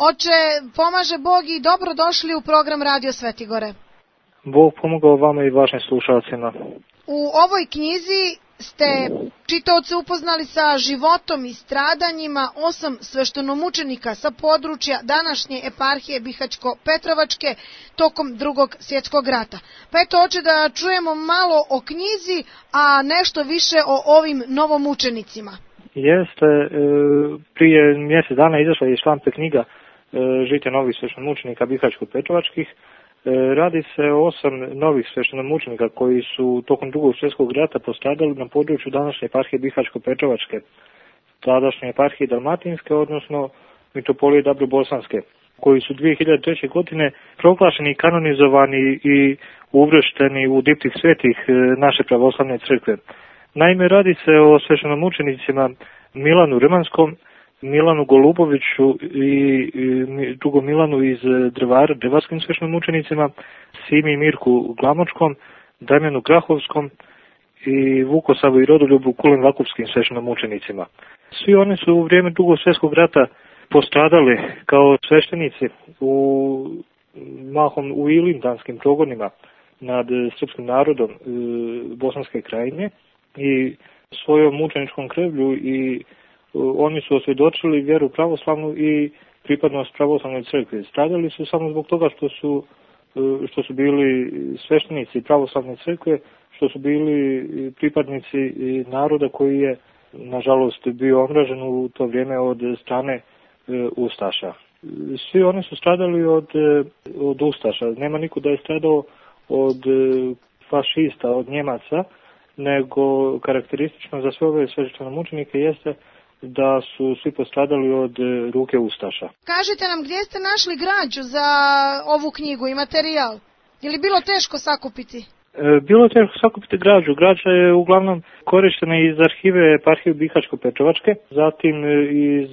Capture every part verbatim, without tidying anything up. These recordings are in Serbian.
Oče, pomaže Bog i dobro došli u program Radio Svetigore. Bog pomogao vama i vašim slušalcima. U ovoj knjizi ste čitaoce upoznali sa životom i stradanjima osam sveštenomučenika sa područja današnje eparhije Bihaćko-Petrovačke tokom Drugog svjetskog rata. Pa eto, oče, da čujemo malo o knjizi, a nešto više o ovim novomučenicima. Jeste, prije mjesec dana izašla je iz štampe knjiga Žitje novih sveštenomučenika Bihaćko-Petrovačkih. Radi se o osam novih sveštenomučenika koji su tokom Drugog svjetskog rata postradali na području današnje eparhije Bihaćko-Petrovačke, tadašnje eparhije Dalmatinske, odnosno mitropolije Dabrobosanske, koji su dvije hiljade treće. godine proglašeni i kanonizovani i uvršteni u diptih svetih naše pravoslavne crkve. Naime, radi se o sveštenomučenicima Milanu Rmanskom, Milanu Goluboviću i drugom Milanu iz Drvara, drvarskim sveštenomučenicima, Simi i Mirku Glamočkom, Damjanu Grahovskom i Vukosavu i Rodoljubu Kulen Vakufskim sveštenomučenicima. Svi oni su u vrijeme Drugog svjetskog rata postradali kao sveštenici u mahom u ilindanskim progonima nad srpskim narodom e, Bosanske krajine i svojom mučeničkom krvlju i oni su osvjedočili vjeru pravoslavnu i pripadnost pravoslavnoj crkvi. Stradali su samo zbog toga što su, što su bili sveštenici pravoslavne crkve, što su bili pripadnici naroda koji je, nažalost, bio omražen u to vrijeme od strane ustaša. Svi oni su stradali od, od ustaša. Nema niko da je stradao od fašista, od Njemaca, nego karakteristično za sve ove sveštenomučenike jeste da su svi postradali od ruke ustaša. Kažite nam, gdje ste našli građu za ovu knjigu i materijal? Je li bilo teško sakupiti? E, bilo je teško sakupiti građu. Građa je uglavnom korištena iz arhive eparhije Bihaćko-Petrovačke, zatim iz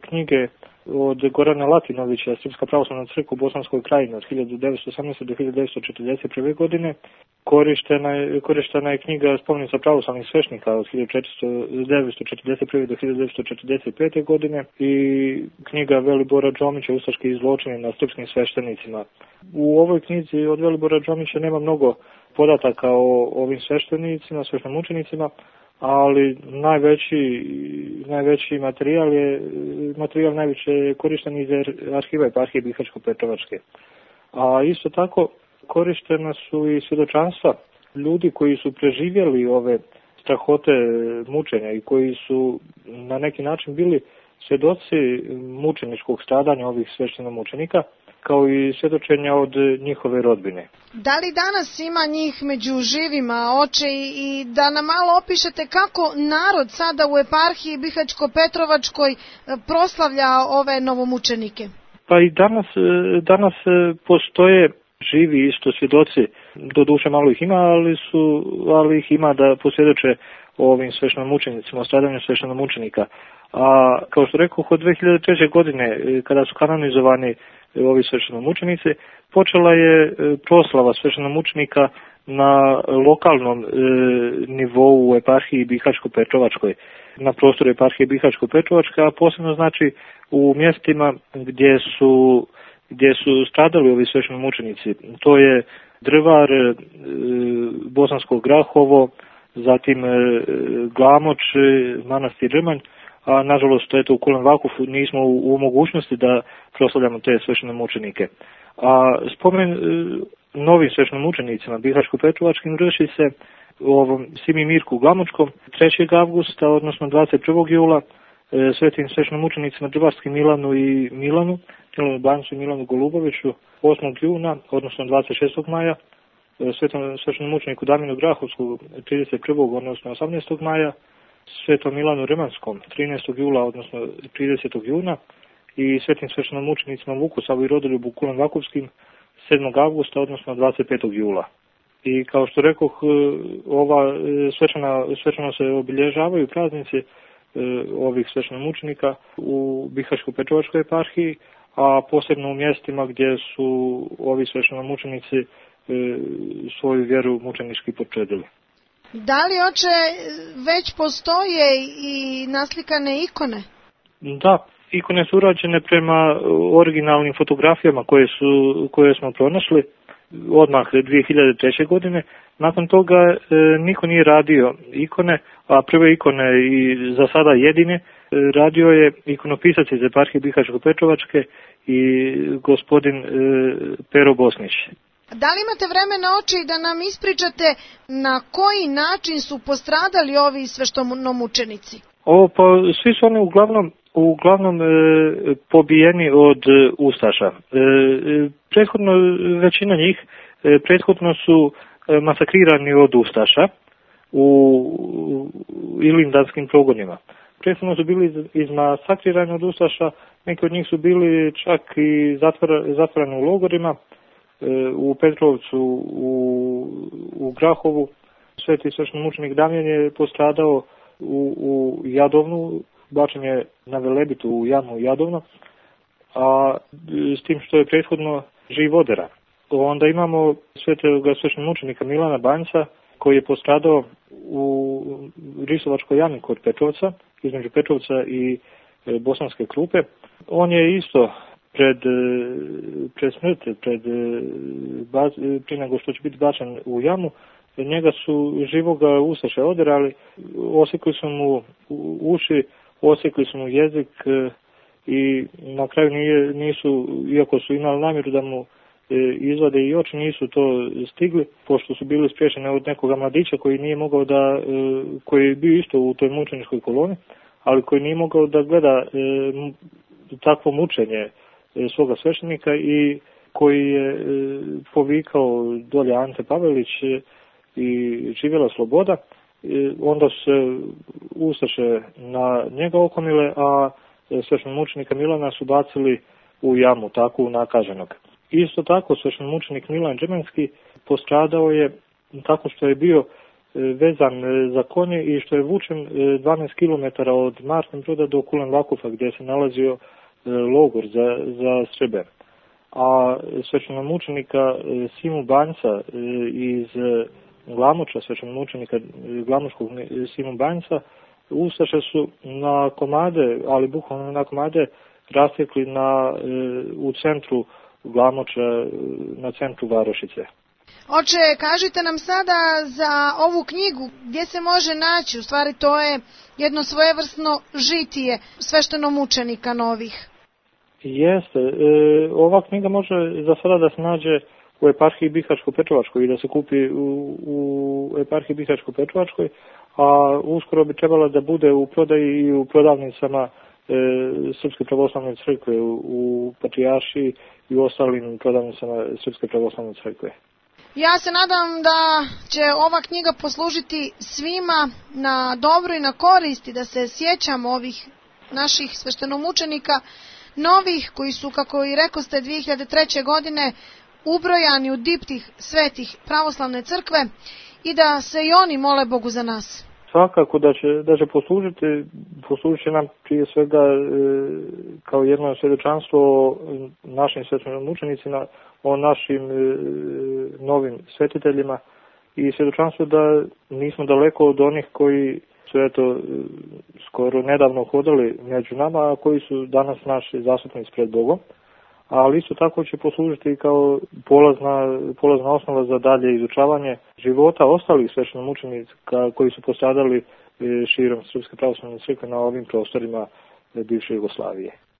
knjige od Gorana Latinovića, Srpska pravoslavna crkva u Bosanskoj krajini od hiljadu devetsto osamnaeste. do hiljadu devetsto četrdeset prve. godine. Korištena je, korištena je knjiga Spomenica pravoslavnih svešnika od hiljadu devetsto četrdeset prve. do hiljadu devetsto četrdeset pete. godine i knjiga Velibora Đomića Ustaški zločini nad srpskim sveštenicima. U ovoj knjizi od Velibora Đomića nema mnogo podataka o ovim sveštenicima, sveštenomučenicima, ali najveći, najveći materijal je materijal najviše korišten iz arhiva eparhije Bihaćko-Petrovačke. A isto tako korištena su i svjedočanstva ljudi koji su preživjeli ove strahote mučenja i koji su na neki način bili svjedoci mučeničkog stradanja ovih sveštenomučenika, kao i svjedočenja od njihove rodbine. Da li danas ima njih među živima, oče, i da nam malo opišete kako narod sada u eparhiji Bihaćko-Petrovačkoj proslavlja ove novomučenike? Pa i danas, danas postoje živi isto svjedoci, doduše malo ih ima, ali, su, ali ih ima da posvjedoče o ovim sveštenomučenicima, o stradanju sveštenomučenika. A kao što rekao, od dvije hiljade treće. godine, kada su kanonizovani ovi sveštenomučenici, počela je proslava sveštenomučenika na lokalnom e, nivou u eparhiji Bihaćko-Petrovačkoj, na prostoru eparhije Bihaćko-Petrovačka, a posebno znači u mjestima gdje su, gdje su stradali ovi sveštenomučenici. To je Drvar, e, Bosansko Grahovo, zatim e, Glamoč, manastir Rmanj, a nažalost eto, u Kulen Vakufu nismo u, u mogućnosti da proslavljamo te sveštenomučenike. A spomen e, novim sveštenomučenicima Bihaćko-Petrovačkim vrši se u ovom Simi Mirku Glamočkom trećeg avgusta, odnosno dvadeset prvog jula, e, svetim sveštenomučenicima Drvarskim Milanu i Milanu, Milanu Bancu i Milanu Goluboviću osmog juna, odnosno dvadeset šestog maja, e, svetom sveštenomučeniku Damjanu Grahovsku trideset prvog odnosno osamnaestog maja, svetom Milanu Rmanskom trinaestog jula, odnosno tridesetog juna i svetim sveštenomučenicima Vukosavu i Rodoljubu Kulen Vakufskim sedmog avgusta, odnosno dvadeset petog jula. I kao što rekoh, ova svečana, svečano se obilježavaju praznici ovih sveštenomučenika u Bihaćko-Petrovačkoj eparhiji, a posebno u mjestima gdje su ovi sveštenomučenici svoju vjeru mučenički počedili. Da li, oče, već postoje i naslikane ikone? Da, Ikone su urađene prema originalnim fotografijama koje, su, koje smo pronašli odmah dvije hiljade treće. godine. Nakon toga e, niko nije radio ikone, a prve ikone i za sada jedine e, radio je ikonopisac iz eparhije Bihaćko-Petrovačke i gospodin e, Pero Bosnić. Da li imate vremena, oče, da nam ispričate na koji način su postradali ovi sveštenomučenici? Ovo, pa svi su oni uglavnom uglavnom e, pobijeni od e, ustaša. E, prethodno većina njih e, prethodno su e, masakrirani od ustaša u, u ilindanskim progonima. Prethodno su bili izmasakrirani od ustaša, neki od njih su bili čak i zatvora, zatvorani u logorima, e, u Petrovcu, u, u Grahovu. Sveti sveštenomučenik Damjan je postradao u, u Jadovnu, bačen je na Velebitu u jamu Jadovno, a s tim što je prethodno živ odera. Onda imamo svetog sveštenomučenika Milana Banjca, koji je postradao u Risovačkoj jami kod Petrovca, između Petrovca i Bosanske Krupe. On je isto pred, pred smrt, pred, prije nego što će biti bačen u jamu, njega su živoga ustaše oderali, osekli su mu uši, osekli su mu jezik i na kraju nije, nisu, iako su imali namjeru da mu izvade i oči, nisu to stigli, pošto su bili spriječeni od nekoga mladića koji nije mogao da, koji je bio isto u toj mučeničkoj koloni, ali koji nije mogao da gleda takvo mučenje svoga sveštenika i koji je povikao dolje Ante Pavelić i živjela sloboda. Onda su se ustaše na njega okomile, a sveštenomučenika Milana su bacili u jamu, takvu nakaženog. Isto tako sveštenomučenik Milan Džemenski postradao je tako što je bio vezan za konje i što je vučen dvanaest kilometara od Martin Broda do Kulen Vakufa, gdje se nalazio logor za, za Srbe. A sveštenomučenika Simu Banjca iz Glamoča, sveštenomučenika Glamočkog Simu Banjca, ustaše su na komade, ali bukvalno na komade, rastekli na, u centru Glamoča, na centru Varošice. Oče, kažite nam sada za ovu knjigu, gdje se može naći, u stvari to je jedno svojevrsno žitije sveštenomučenika novih. Jeste, e, ova knjiga može za sada da se nađe u eparhiji Bihaćko-Petrovačkoj i da se kupi u, u eparhiji Bihaćko-Petrovačkoj, a uskoro bi trebala da bude u prodaji i u prodavnicama e, Srpske pravoslavne crkve u, u Patrijaršiji i u ostalim prodavnicama Srpske pravoslavne crkve. Ja se nadam da će ova knjiga poslužiti svima na dobro i na koristi, da se sjećamo ovih naših sveštenomučenika novih koji su, kako i rekoste, dvije hiljade treće. godine ubrojani u diptih svetih pravoslavne crkve i da se i oni mole Bogu za nas. Svakako da će, da će poslužiti, poslužit će nam prije svega e, kao jedno svjedočanstvo o našim sveštenomučenicima, o našim e, novim svetiteljima i svjedočanstvo da nismo daleko od onih koji su eto skoro nedavno hodali među nama, a koji su danas naši zastupnici pred Bogom. Ali isto tako će poslužiti kao polazna, polazna osnova za dalje izučavanje života ostalih sveštenomučenika koji su postradali širom Srpske pravoslavne crkve na ovim prostorima bivše Jugoslavije.